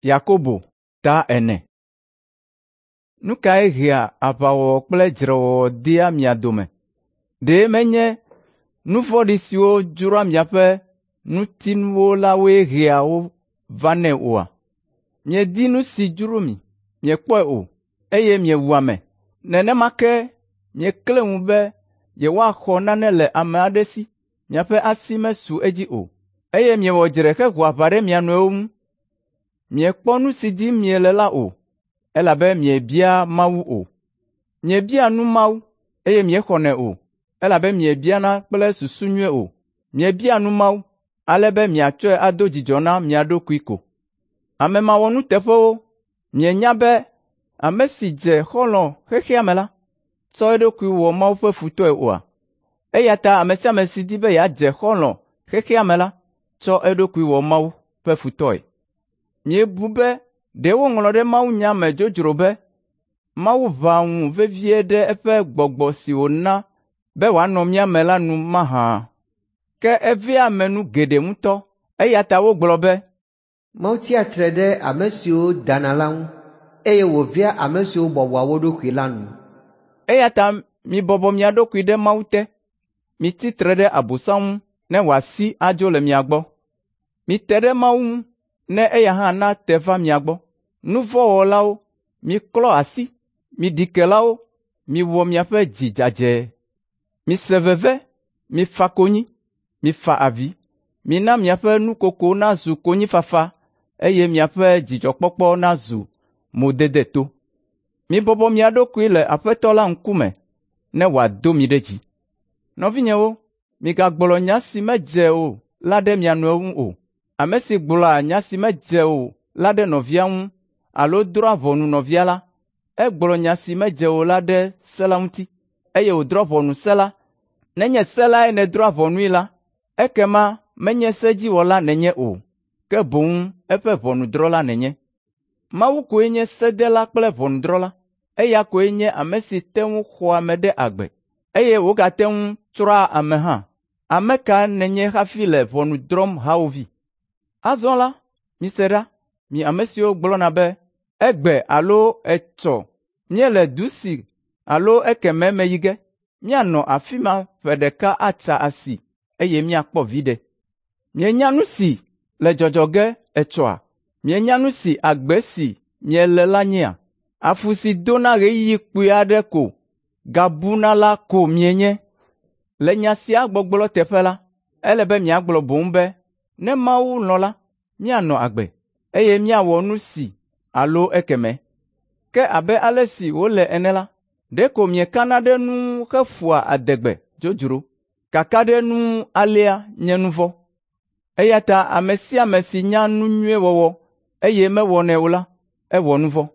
Yakobo ta 4. Nu kae hea aʋawɔwɔ kple dzrewɔwɔ dea mia dome? Ɖe menye nu vɔ̃ɖi siwo dzroa miaƒe ŋutinuwo la woe hea wo vanɛ oa? Miedi nu si dzro mi, miekpɔe o, eye miewu ame. Nenema ke miekle ŋu be yewoaxɔ nane le ame aɖe si, miaƒe asi mesu edzi o, eye miewɔ dzre heho aʋa ɖe mia nɔewo ŋu. Miekpɔ nu si dim miele la o, elabe miebia Mawu o. Miebia nu Mawu, eye miexɔnɛ o, elabe miebiana kple susu nyui o. Miebia nu Mawu, ale be miatsɔe ado dzidzɔ na mia ɖokui ko. Ame mawɔnuteƒewo, mienya be ame si dze xɔlɔ̃ xexea me la, tsɔ eɖokui wɔ Mawu ƒe futɔe oa? Eya ta ame sia ame si di be yeadze xɔlɔ̃ xexea me la, tsɔ eɖokui wɔ Mawu ƒe futɔe. Miebu be ɖe woŋlɔ ɖe mawunya me dzodzro be, Mawu ʋã ŋu vevie ɖe eƒe gbɔgbɔ si wòna be wòanɔ mía me la nu mahã? Ke evea ame nu geɖe ŋutɔ, eya ta wogblɔ be, Mawu tsia tre ɖe ame siwo dana la ŋu, eye wòvea ame siwo bɔbɔa wo ɖokui la nu. Eya ta mibɔbɔ mia ɖokui ɖe Mawu te, mitsi tre ɖe Abosam ŋu ne wòasi adzo le mia gbɔ. Mite ɖe Mawu ŋu ne eya hã nate va mia gbɔ. Nu vɔ̃ wɔlawo, miklɔ asi, mi ɖikelawo, miwɔ miaƒe dzi dzadzɛ. Mise veve, mifa konyi, mifa avi. Mina miaƒe nukoko nazu konyifafa eye miaƒe dzidzɔkpɔkpɔ nazu modedeto. Mibɔbɔ mia ɖokui le Aƒetɔ la ŋkume ne wòado mi ɖe dzi. Nɔvinyewo, migagblɔ nya si medze o la ɖe mia nɔewo ŋu o. Ame si gblɔa nya si medze o la ɖe nɔvia ŋu alo drɔ̃a ʋɔnu nɔvia la, egblɔ nya si medze o la ɖe se la ŋuti, eye wòdrɔ̃ ʋɔnu se la. Nenye se lae nèdrɔ̃a ʋɔnui la, ekema menye sedziwɔla nènye o, ke boŋ eƒe ʋɔnudrɔ̃la nènye. Mawu koe nye sedela kple ʋɔnudrɔ̃la. Eya koe nye ame si te ŋu xɔa ame ɖe agbe, eye wògate ŋu tsrɔ̃a ame hã. Ame ka nènye hafi le ʋɔnu drɔ̃m hawòvi? Azɔ la, mise ɖa, mi ame siwo gblɔna be, “Egbe alo etsɔ míele du si alo ekemɛ me yi ge, míanɔ afi ma ƒe ɖeka atsa asi eye míakpɔ viɖe.” Mienya nu si le dzɔdzɔ ge etsɔa? Mienya nu si agbe si miele la nyea? Afu si dona ɣeyiɣi kpui aɖe ko gabuna la ko mienye. Le nya sia gbɔgblɔ teƒe la, ele be miagblɔ boŋ be, “Ne Mawu lɔ̃ la, míanɔ agbe, eye míawɔ nu si alo ekemɛ.” Ke abe ale si wòle ene la, ɖeko miekana ɖe nu ŋu heƒoa adegbe dzodzro. Kaka ɖe nu ŋu alea nye nu vɔ̃. Eya ta ame sia ame si nya nu nyui wɔwɔ, eye mewɔnɛ o la, ewɔ nu vɔ̃.